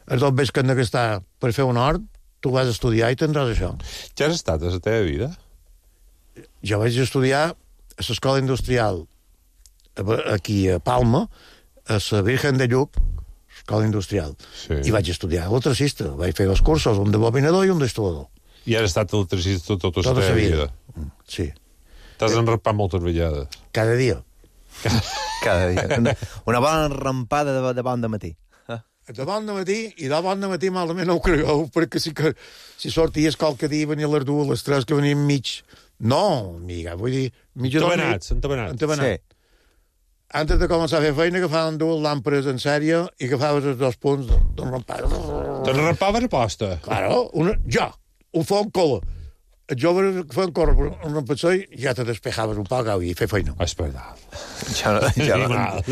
els dobbers que han de gastar per fer un hort, tu vas estudiar i tindràs això. Què has estat a la teva vida? Jo vaig estudiar a l'escola industrial aquí a Palma, a la Virgen de Lluc, escola industrial. Sí. I vaig estudiar electricista. Vaig fer 2 cursos, un de bobinador i un d'instal·lador. I has estat electricista tota la teva vida? Sí. T'has enrapat moltes vegades? Cada dia. Cada dia. Una bona rampada de bon de matí. De bon de matí, i de bon de matí malament no ho cregueu, perquè si sorties qualque dia venia a les 2, a les 3, que venien mig... No, amiga, vull dir... Entabanats. Sí. Antes de començar a fer feina, agafaven 2 làmperes en sèrie i agafaves els 2 punts d'enrampar. Te'n rampaves a posta? Claro, jo, ho fa un cola. els joves que feien córrer per un passeig, ja te despejaves un poc i fer feina. És veritat. Jo no rampar.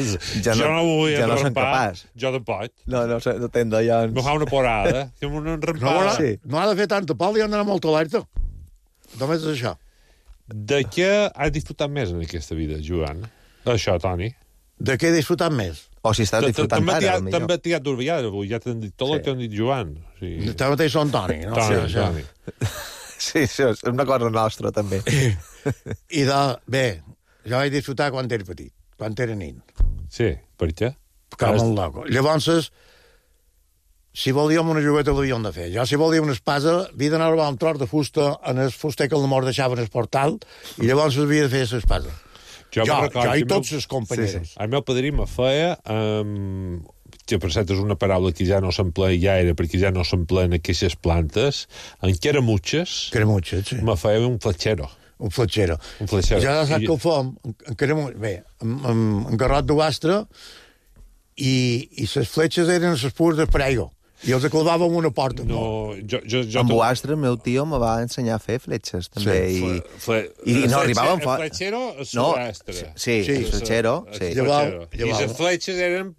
són capaç. Jo tampoc. No tendo, ja... Me fa una porada, que una rampada. No ha de fer tanta pol i ha d'anar molt alerta. Només és això. De què has disfrutat més en aquesta vida, Joan? Això, Toni. De què he disfrutat més? O si estàs disfrutant ara, millor. També t'hi ha d'orbillar, avui ja t'han dit tot el que han dit Joan. També mateix són Toni, no? Toni. Sí, és una cosa nostra, també. I bé, jo vaig disfrutar quan era petit, quan era nin. Sí, per què? Ficava molt loco. Llavors, si volíem una jugueta l'havíem de fer. Jo, si volíem una espasa, havia d'anar a robar un tros de fusta en el fuster que el mort deixava en el portal i llavors havia de fer l'espasa. Jo i tots els companyeros. El meu padrí me feia, que per cert és una paraula que ja no s'emplea ja era, perquè ja no s'empleen aquestes plantes, en caramutxes, sí. me feia un fletxero. Un fletxero. Ja saps que el fem, en garrot de gastre, i les fletxes eren les pures de paraigua. I els clavava en una porta. Amb Boastre, el meu tio me va ensenyar a fer fletxes, també. I no arribaven fort. El fletxero és subastre. Sí, el fletxero. I les fletxes eren...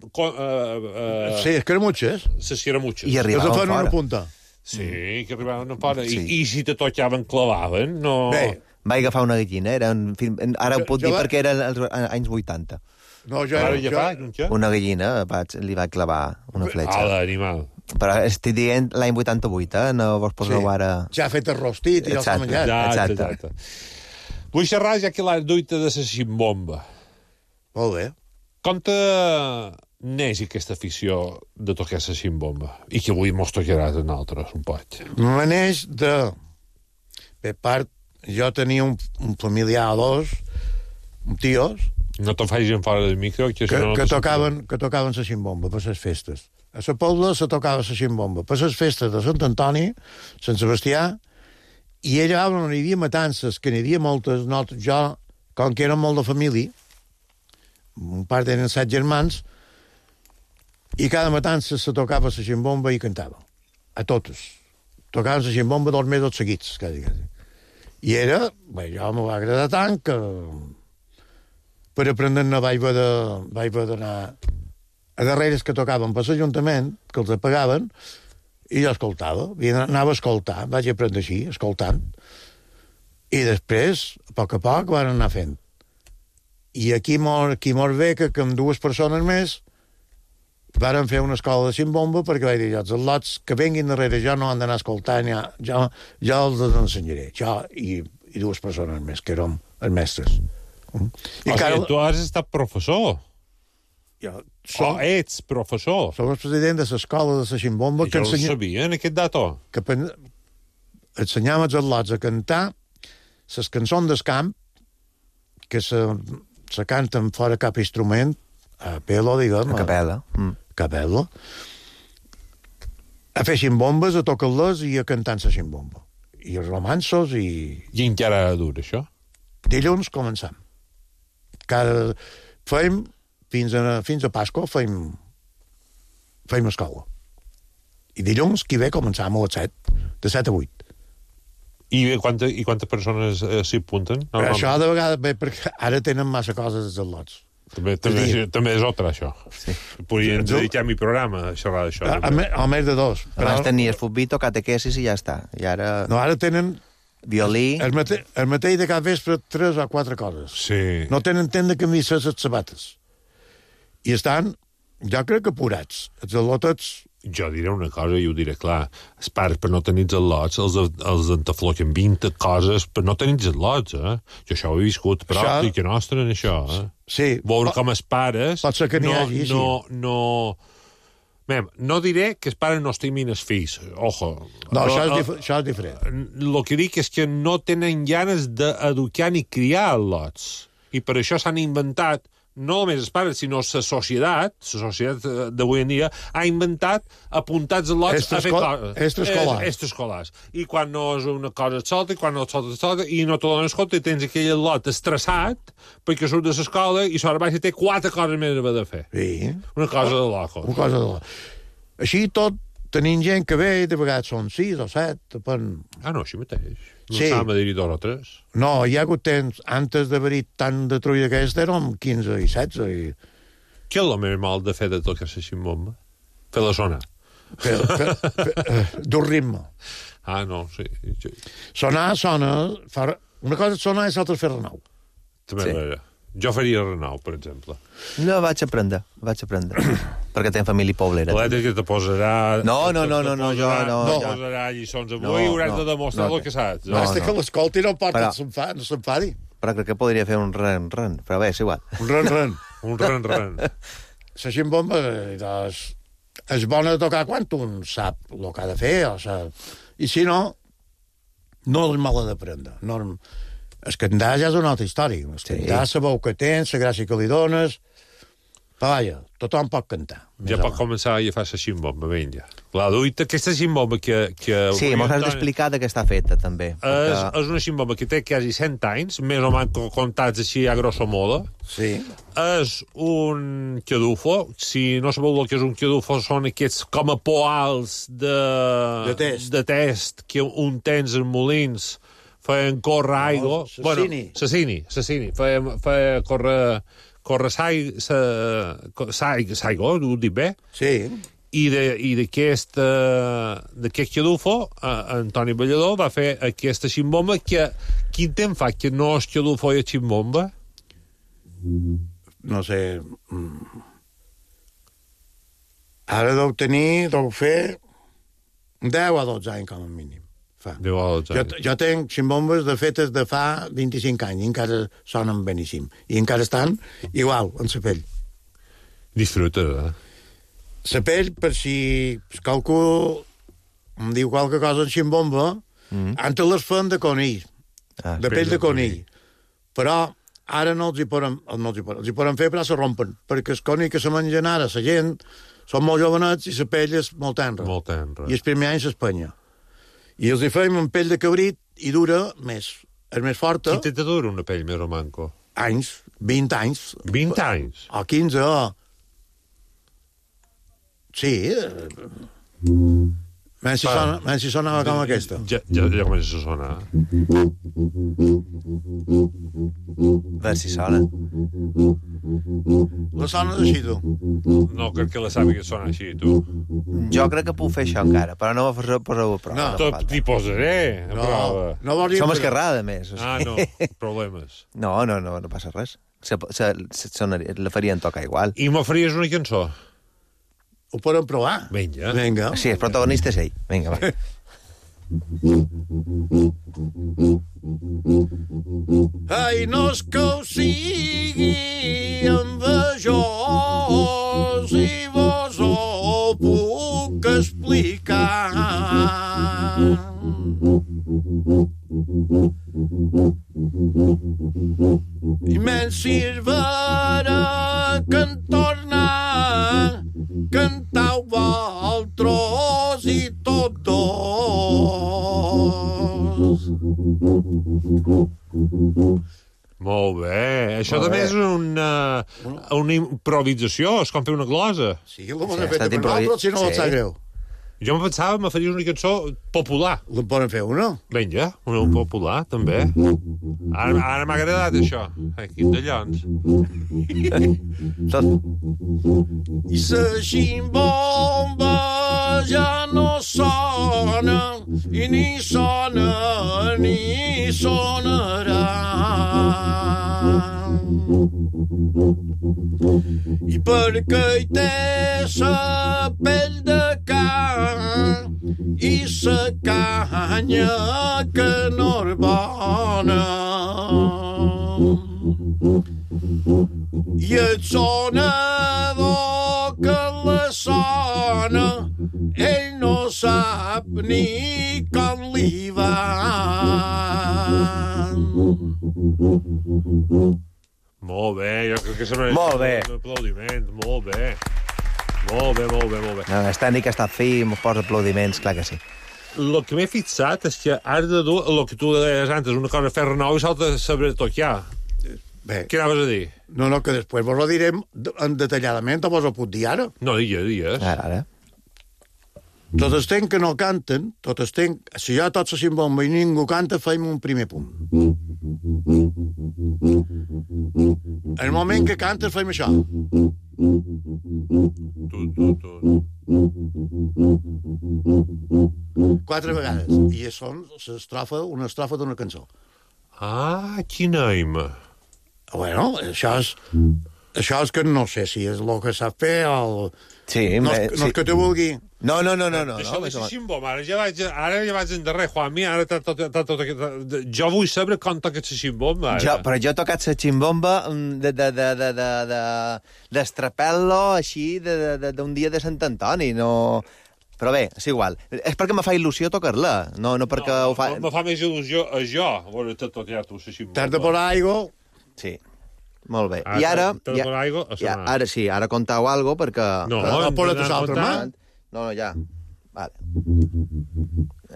Sí, les caramutxes. Les caramutxes. I arribaven fora. Que una punta. Sí, que arribaven fora. I si te tocaven, clavaven, no... Bé, vaig agafar una gallina, ara ho puc dir perquè era als anys 80. No, una gallina, li vaig clavar una fletxa. L'animal. Però estic dient l'any 88, no vos poseu ara... Ja ha fet el rostit i ja s'ha menjat. Exacte. Vull xerrar ja que l'has duita de la ximbomba. Molt bé. Com te neix aquesta afició de tocar la ximbomba? I que avui mos tocaràs a nosaltres un poc. Me neix de... Per part, jo tenia un familiar o dos, tios... No te'n facis en fora del micro, que tocaven la ximbomba per les festes. A la Pobla se tocava la ximbomba per les festes de Sant Antoni, Sant Sebastià, i allà on hi havia matances, que n'hi havia moltes, jo, com que érem molt de família, un part eren 7 germans, i cada matança se tocava la ximbomba i cantava. A totes. Tocaven la ximbomba 2 mesos seguits, quasi. I era, jo m'ho va agradar tant que per aprendre-ne vaig haver d'anar a darreres que tocaven per l'Ajuntament, que els apagaven, i jo escoltava. Anava a escoltar, vaig aprendre així, escoltant. I després, a poc van anar fent. I aquí mor bé que amb 2 persones més varen fer una escola de ximbomba perquè vaig dir, els lots que venguin darrere jo no han d'anar escoltant, jo els ensenyaré. Jo i 2 persones més, que érem els mestres. Tu has estat professor. Ets professor. Som el president de l'escola de la ximbomba. Jo ho sabia, en aquest dato. Que ensenyàvem els lots a cantar les cançons del camp, que se canten fora cap instrument, a pelo, diguem. A capella. Capella. A fer ximbombes, a tocar-les i a cantar la ximbomba. I romanços i... I encara dura, això? Dilluns començam. Fem fins a Pasqua fem escola. I dilluns, qui ve, començam a les 7, de 7 a 8. I quantes persones s'hi apunten? Això de vegades ve perquè ara tenen massa coses als lots. També és altre, això. Sí. Podríem dedicar mi programa a xerrar d'això. A més de 2. Abans tenies futbito, catequesis i ja està. I ara... No, ara tenen... Violí... El mateix de cada vespre 3 o 4 coses. Sí. No tenen temps de canviar les sabates. I estan, jo crec que apurats. Els al·lots... Jo diré una cosa i ho diré clar. Els pares, per no tenir els al·lots, els entafloquen 20 coses per no tenir els al·lots, eh? Jo això ho he viscut, però això... que nostre en això, eh? Sí. Veure com els pares... Pot ser que n'hi hagi, sí. No diré que els pares no estimin els fills, ojo. No, això és diferent. El que dic és que no tenen ganes d'educar ni criar al·lots. I per això s'han inventat, no només els pares, sinó la societat d'avui en dia, ha inventat apuntats al·lots a fer coses. Extraescolars. I quan no és una cosa et solta, i quan no et solta, i no te dones compte, tens aquell al·lot estressat perquè surt de l'escola i sobre baix té 4 coses més a haver de fer. Sí. Una cosa de loco. Una cosa de loco. Així tot, tenim gent que ve, de vegades són 6 o 7, depèn... No, així mateix. No s'ha de dir 2 o 3. No, hi ha hagut temps, antes d'haver-hi tant de trulla aquesta, érem 15 i 16. Què és el més mal de fer de tocar la ximbomba? Fer-la sonar. Dur ritme. Ah, no, sí. Sonar, sona... Una cosa és sonar i l'altra és fer renou. També sí. Jo faria Renau, per exemple. No, vaig aprendre. Perquè tenc família poblera. L'Eta que te posarà... No, jo no. Te posarà lliçons avui i hauràs de demostrar el que saps. Basta que l'escolti no porta, no s'enfadi. Però crec que podria fer un ren, però bé, és igual. Un ren. Un ren. La ximbomba és bona de tocar quan un sap el que ha de fer, i si no, no és mala d'aprendre. El cantar ja és una altra història. El cantar, la veu que tens, la gràcia que li dones... Però vaja, tothom pot cantar. Ja pot començar a fer la ximbomba, vinga. La duita, aquesta ximbomba que sí, m'ho has d'explicar de què està feta, també. És una ximbomba que té quasi 100 anys, més o menys comptats així a grosso modo. Sí. És un cadufo. Si no sabeu el que és un cadufo, són aquests com a poals de test que un tens en molins feien córrer aigua... Sassini. Feia córrer s'aigua, ho dic bé? Sí. I d'aquest cadufo, Antoni Ballador va fer aquesta ximbomba que... Quin temps fa que no és cadufo i ximbomba? No sé... Ara deu fer 10 o 12 anys, com a mínim. 10 o 12 anys. Jo tenc ximbombes de fetes de fa 25 anys i encara sonen beníssim. I encara estan igual, en la pell. Disfruta, La pell, per si qualcú em diu qualque cosa en ximbomba, antes les fan de conill, de pell de conill. Però ara no els hi poden fer, però se rompen, perquè el conill que se mengen ara, la gent, són molt jovenets i la pell és molt tenra. I el primer any s'espanya. I els hi fèiem amb pell de cabrit i dura més. És més forta. Quin temps dura una pell més o manco? Anys, 20 anys. 20 anys? O 15, Sí. Menys si sonava com aquesta. Ja comença a sonar. A veure si sona. La sones així, tu? No, crec que la sàpiga sona així, tu. Jo crec que puc fer això encara, però no m'ho poseu a prova. No, t'hi posaré a prova. Som esquerrada, més. Ah, no, problemes. No passa res. La farien tocar igual. I m'oferies una cançó? Ho podem provar? Vinga. Sí, el protagonista és ell. Vinga, va. Ai, no és que ho sigui envejós i vos ho puc explicar. I menys sirverà que en tornar cantau vosaltres i tots dos. Molt bé. Això també és una improvisació, és com fer una glosa. Sí, la bona feta per nosaltres, si no et sap greu. Jo em pensava que faries una cançó popular. La poden fer una? Vinga, una popular, també. Ara m'ha agradat, això. Quin de llons. I la ximbomba ja no sona, i ni sona ni sonarà. I perquè hi té sa pell de can i sa canya que no és bona. I el sonador que la sona ell no sap ni com li va. Molt bé, jo crec que sembla un aplaudiment, molt bé. Molt bé. No, el tècnic ha estat fi, m'ho posa aplaudiments, clar que sí. El que m'he fixat és que has de dur el que tu deies antes, una cosa fer renou i l'altra saber tocar. Bé. Què anaves a dir? No, que després vos ho direm detalladament, o vos ho puc dir ara? No, digues. Ara. Tot el temps que no canten, tot el temps, si ja tots se bomba i ningú canta, feim un primer punt. En el moment que cantes, feim això. Quatre vegades. I això una estrofa d'una cançó. Ah, quina aima. Bueno, això és que no sé si és el que sap fer o... Sí, no és que te vulgui... No. Això de Ximbom, ara ja vaig endarrer, Juanmi, ara jo vull saber com toca la Ximbomba. Però jo he tocat la ximbomba d'estrapel·lo així d'un dia de Sant Antoni, no... Però bé, és igual. És perquè me fa il·lusió tocar-la, no perquè ho fa... Me fa més il·lusió a jo, a veure tot ja tu, la Ximbomba. T'has de posar aigua... Sí, molt bé. I ara... Ara sí, ara contau algo perquè... No, posa't l'altra mà. No, ja. Vale.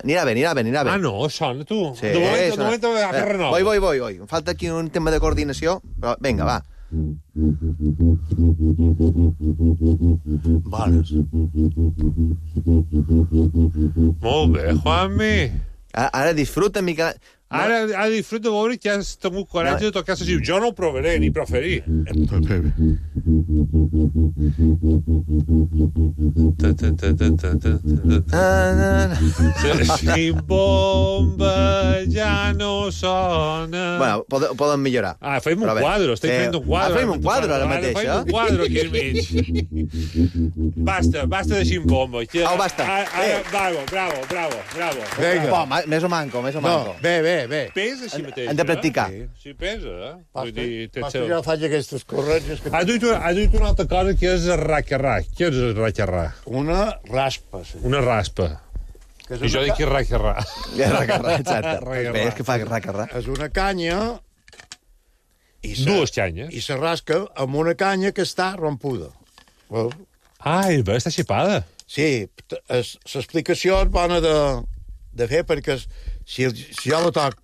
Anirà bé. Ah, no, sona, tu. Sí, de moment agafa renova. Voy. Em falta aquí un tema de coordinació, però vinga, va. Bones. Molt bé, Juanmi. Ara disfruta, Miquel... Ara disfruta de veure que has tingut coratge de tocar la Ximbomba. Jo no ho provaré, ni preferir. La Ximbomba ja no sona... Bueno, poden millorar. Fem un quadre, estic fent un quadre. Fem un quadre ara mateix, Fem un quadre aquí al mig. Basta de Ximbomba. Basta. Bravo. Vinga. Més o manco. No, bé. Pesa així mateix. Hem de practicar. Sí, pesa. Pasta jo faig aquestes corretges... Ha dit una altra cosa que és el racarrà. Què és el racarrà? Una raspa. Sí. Una raspa. I jo dic que és racarrà. Racarrà, exacte. Bé, és que fa racarrà. És una canya... Dues canyes. I se rasca amb una canya que està rompuda. Bé, està xipada. Sí, l'explicació és bona de fer perquè si jo la toc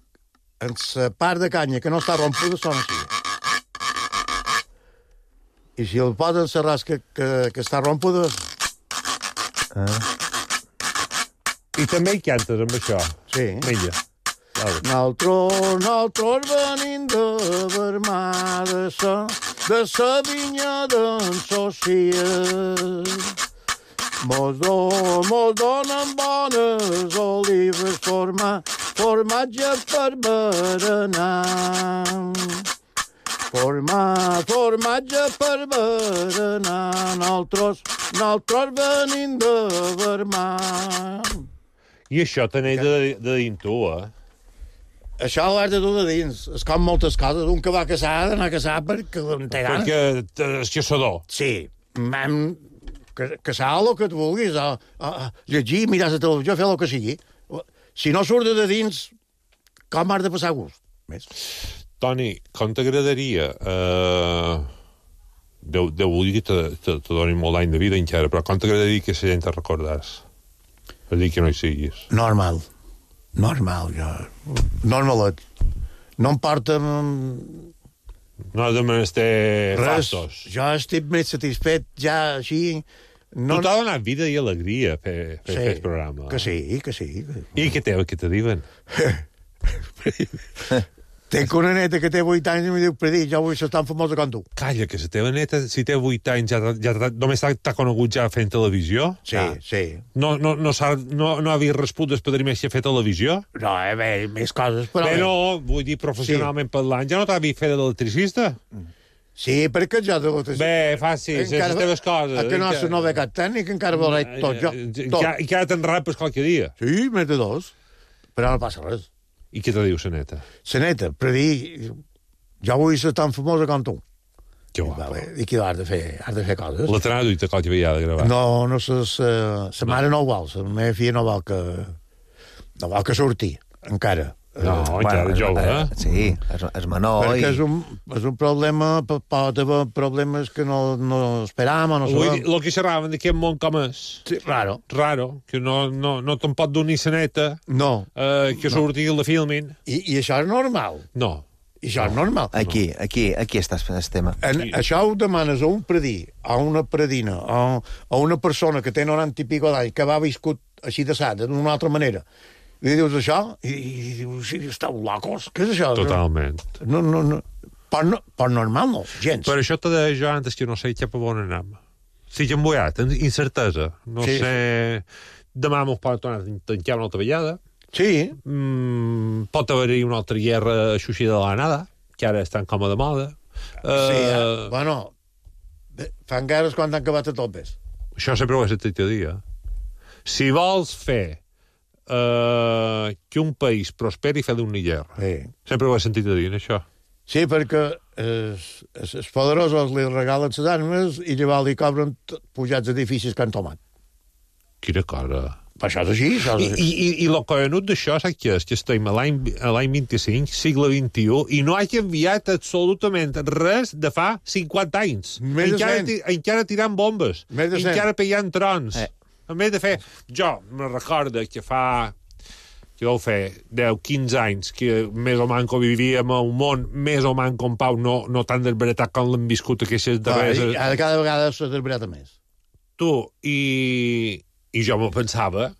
en la part de canya que no està rompuda sona així. I si el posa en la rasca que està rompuda... I també hi cantes amb això. Sí. Vinga. Nosaltres venim de Vermà, de sa vinya d'en Societ. Mos donen bones olives, formatge per berenar. Formatge per berenar, nosaltres venim de Vermà. I això t'aneix de dins tu, Això ho has de dur de dins. És com moltes coses. Un que va casar ha d'anar a casar perquè té gana. Perquè és caçador. Sí. Casar el que et vulguis. Llegir, mirar la televisió, fer el que sigui. Si no surt de dins, com has de passar gust? Toni, com t'agradaria... Déu vulgui que te doni molt d'any de vida encara, però com t'agradaria que la gent te recordés? És dir, que no hi siguis. Normal, jo. Normalet. No em porta... No has de menester fastos. Jo estic més satisfet ja així... Tu t'ha donat vida i alegria fer el programa. Que sí. I què te diuen? Tenc una neta que té 8 anys i em diu, Predí, jo vull ser tan famosa com tu. Calla, que la teva neta, si té 8 anys, ja només t'ha conegut ja fent televisió? Sí. No havia respost el padrí més que fer televisió? No, més coses, però... Bé, no, vull dir, professionalment parlant, ja no t'havia fet d'electricista? Sí, perquè jo... Bé, fàcil, les teves coses. Que no és una beca tècnica, encara veuré tot jo. I que ara te'n rapes qualque dia. Sí, més de 2. Però no passa res. I què te diu la neta? La neta, Predí, jo vull ser tan famosa com tu. Que guapo. I que has de fer coses. La t'anava duit a qualque vegada de gravar. No, sa mare no ho vol, la meva filla no vol que surti, encara. No, encara jove, Sí, és menor. Perquè és un problema, pot haver problemes que no esperàvem o no sabem. El que xerraven d'aquest món com és. Sí, raro. Que no te'n pot donar sa neta. No. Que surti i la filmin. I això és normal. No. I això és normal. Aquí està el tema. Això ho demanes a un predí, a una predina, a una persona que té 90 i pico d'anys, que va viscut així de sat, d'una altra manera. I dius això, i dius, sí, esteu locos, què és això? Totalment. No. Per normal no, gens. Per això te deia jo antes que no sé cap a on anem. Estic embullat, incertesa. No sé... Demà m'ho pot tornar a tancar una altra vegada. Sí. Pot haver-hi una altra guerra aixuixida de la nada, que ara estan com a de moda. Bueno, fan guerres quan han acabat a topes. Això sempre ho he sentit a dir. Si vols fer que un país prosperi, fer d'una guerra. Sí. Sempre ho he sentit a dir, això. Sí, perquè els poderosos li regalen les armes i llavors li cobren pujats edificis que han tomat. Quina cosa. Per això és així. I el collonut d'això, saps què és? Que estem a l'any 25, segle XXI, i no ha canviat absolutament res de fa 50 anys. Encara tirant bombes. Encara pegant trons. En vez de fer... Jo me recordo que fa... que deu fer 10-15 anys que més o manco vivíem a un món més o manco en pau, no tan desbaratat com l'hem viscut aquestes darreres... Ara cada vegada s'ha desbaratat més. Tu, i jo me pensava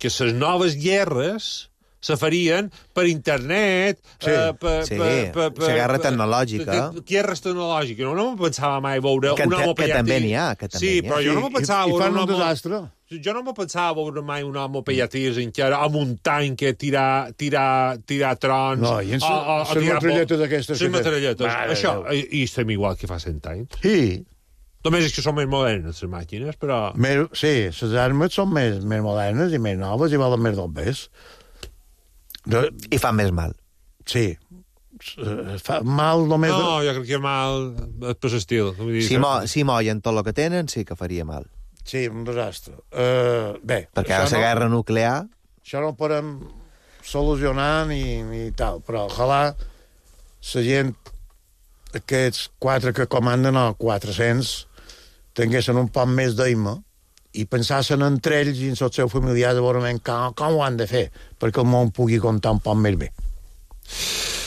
que les noves guerres se farien per internet, la guerra tecnològica. Guerres tecnològiques. No me pensava mai veure un home que també n'hi ha. Sí, però jo no me pensava veure un desastre. Jo no me pensava veure mai un home pellatís encara amb un tanc que tirar trons. No, i les metralletes aquestes. Les metralletes. Això, i estem igual que fa 100 anys. Sí. Només és que són més modernes, les màquines, però... Sí, les armes són més modernes i més noves i valen més del pes. I fan més mal. Sí. Fa mal només... No, jo crec que mal per l'estil. Si mollen tot el que tenen, sí que faria mal. Sí, un desastre. Bé... Perquè ara la guerra nuclear... Això no ho podem solucionar ni tal, però ojalà la gent, aquests 4 que comanden, o 400, tinguessin un poc més d'eima i pensassin entre ells i en els seus familiars a veure com ho han de fer perquè el món pugui comptar un poc més bé.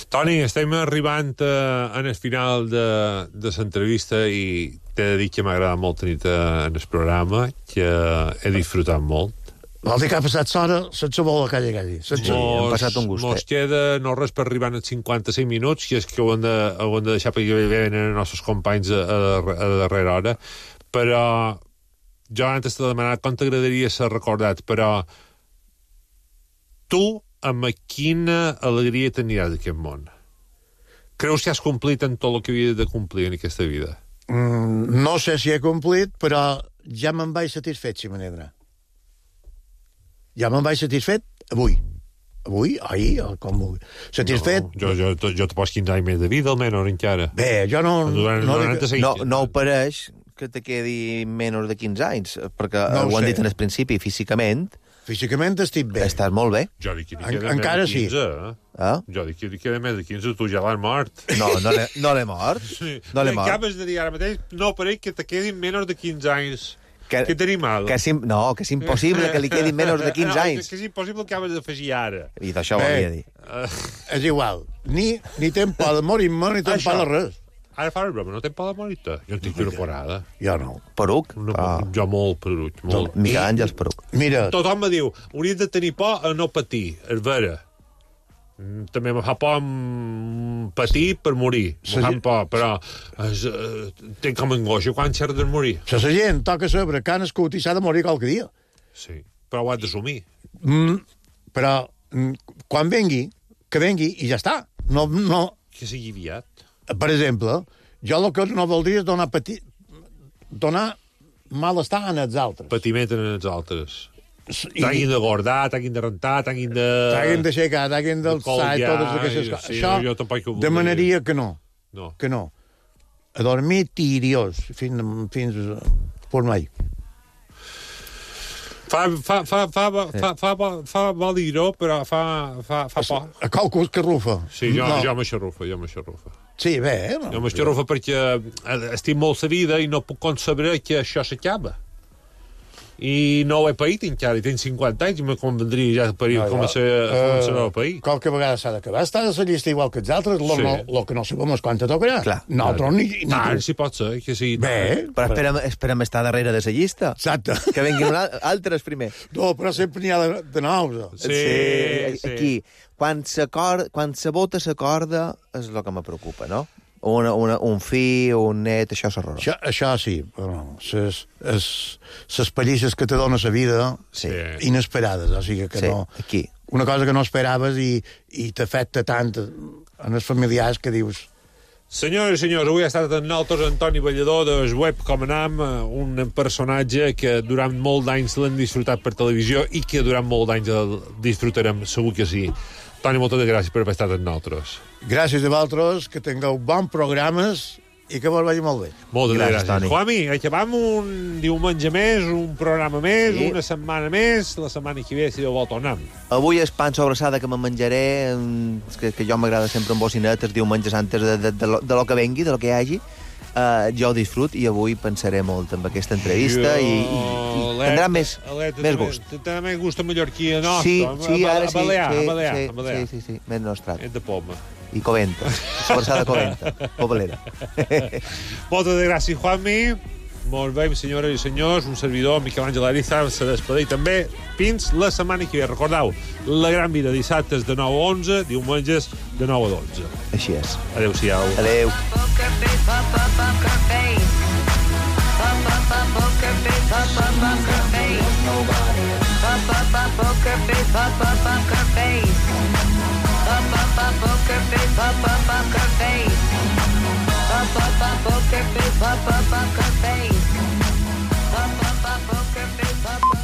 Toni, estem arribant en el final de l'entrevista i t'he de dir que m'ha agradat molt tenir-te en el programa, que he disfrutat molt. Vol dir que ha passat l'hora sense voler calli. Hem passat un gustet. Mos queda no res per arribar als 55 minuts, que és que ho hem de deixar perquè venen els nostres companys a darrera hora, però jo antes t'he demanat com t'agradaria ser recordat, però tu amb quina alegria t'aniràs d'aquest món? Creus que has complit en tot el que havia de complir en aquesta vida? No sé si he complit, però ja me'n vaig satisfet, si me n'he d'anar. Ja me'n vaig satisfet avui, ahir, com vull. Satisfet... No, jo te poso 15 anys més de vida, almenys, encara. Bé, jo no... No ho pareix que te quedi menys de 15 anys, perquè ho han dit en el principi, físicament... Físicament estic bé. Estàs molt bé. Jo dic que li queda més de 15, Jo dic que li queda més de 15, tu ja l'has mort. No l'he mort. No l'he mort. Acabes de dir ara mateix, no pareix que te quedin menys de 15 anys. Que tenim mal. Que és impossible que li quedin menys de 15 anys. Que és impossible que acabes d'afegir ara. I d'això ho havia dit. És igual. Ni tem por de morir-me, ni tem por de res. Ara fa una broma, no tem por de morir-te. Jo en tinc una porada. Jo no. Poruc? Jo molt poruc, molt. Miquel Àngels Poruc. Mira... Tothom me diu, hauries de tenir por a no patir, és vera. També me fa por patir per morir. Me fa por, però tenc com angoixa quan xerra de morir. La gent toca saber que ha nascut i s'ha de morir qualque dia. Sí, però ho has d'assumir. Però quan vengui, que vengui i ja està. No... Que sigui aviat. Per exemple, jo el que no voldria és donar malestar a els altres. Patiment a els altres. T'hagin de guardar, t'hagin de rentar, t'hagin d'aixecar, t'hagin d'alçar i totes aquestes coses. Això demanaria que no. Que no. A dormir tiriós fins per mai. Fa vol dir-ho, però fa por. A qualcú que rufa. Sí, jo m'aixarrufa. Sí, bé. Jo m'aixarrufa perquè estic molt la vida i no puc concebre que això s'acaba. I no ho he paït encara, i tinc 50 anys, i me convendria ja començar a pair. Qualque vegada s'ha d'acabar. Està de la llista igual que els altres, lo que no sabem és quan te tocarà. Clar. Nosaltres ni... Tant, si pot ser, que sí. Bé. Però esperem estar darrere de la llista. Exacte. Que vinguin altres primer. No, però sempre n'hi ha de nous. Sí. Aquí, quan se vota la corda, és el que me preocupa, no? Un fill, un net, això és horrorós. Això sí, però les pallisses que te dona la vida, inesperades, o sigui que no... Aquí. Una cosa que no esperaves i t'afecta tant en els familiars que dius... Senyores i senyors, avui ha estat amb nosaltres Antoni Ballador del web Com Anam, un personatge que durant molt d'anys l'hem disfrutat per televisió i que durant molt d'anys el disfrutarem, segur que sí. Toni, moltes gràcies per haver estat amb nosaltres. Gràcies a vosaltres, que tingueu bons programes i que vos vagi molt bé. Moltes gràcies. Toni. Juanmi, acabam un diumenge més, un programa més, una setmana més, la setmana que ve, si Déu vol, tornem. Avui és pan sobrassada que me menjaré, que jo m'agrada sempre amb bocinet els diumenges antes de lo que vengui, de lo que hi hagi. Jo ho disfrut i avui pensaré molt amb aquesta entrevista i tindrà més gust. Tindrà més gust a mallorquí nostre. Sí, ara sí. Balear. Sí, més nostrat. És de poma. I Coventa, sobrassada Coventa, Pobalera. Moltes gràcies, Juanmi. Molt bé, senyores i senyors, un servidor, Miquel Àngel Ariza, se despedeix també fins la setmana que ve. Recordeu, La Gran Vida, dissabtes de 9 a 11, diumenges de 9 a 12. Així és. Adéu-siau. Adéu. Poker face.